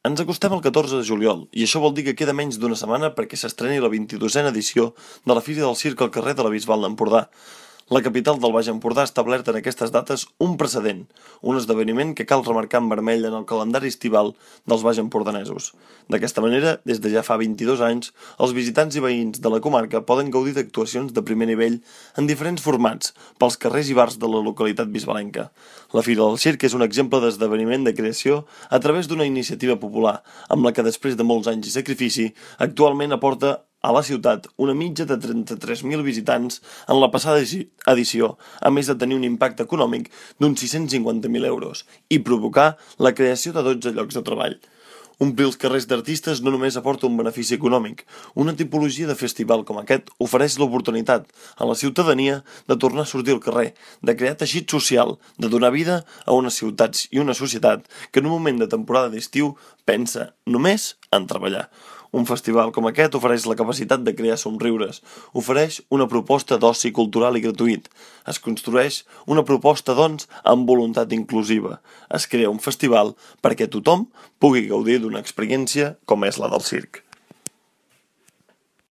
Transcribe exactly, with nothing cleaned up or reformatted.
Ens acostem al catorze de juliol, i això vol dir que queda menys d'una setmana perquè s'estreni la vint-i-dosena edició de la Fira del Circ al carrer de la Bisbal d'Empordà. La capital del Baix Empordà ha establert en aquestes dates un precedent, un esdeveniment que cal remarcar en vermell en el calendari estival dels baixempordanesos. D'aquesta manera, des de ja fa vint-i-dos anys, els visitants i veïns de la comarca poden gaudir d'actuacions de primer nivell en diferents formats pels carrers i bars de la localitat bisbalenca. La Fira del Circ és un exemple d'esdeveniment de creació a través d'una iniciativa popular, amb la que després de molts anys i sacrifici, actualment aporta a la ciutat una mitja de trenta-tres mil visitants en la passada edició, a més de tenir un impacte econòmic d'uns sis-cents cinquanta mil euros i provocar la creació de dotze llocs de treball. Omplir els carrers d'artistes no només aporta un benefici econòmic, una tipologia de festival com aquest ofereix l'oportunitat a la ciutadania de tornar a sortir al carrer, de crear teixit social, de donar vida a unes ciutats i una societat que en un moment de temporada d'estiu pensa només en treballar. Un festival com aquest ofereix la capacitat de crear somriures, ofereix una proposta d'oci cultural i gratuït, es construeix una proposta, doncs, amb voluntat inclusiva, es crea un festival perquè tothom pugui gaudir d'una experiència com és la del circ.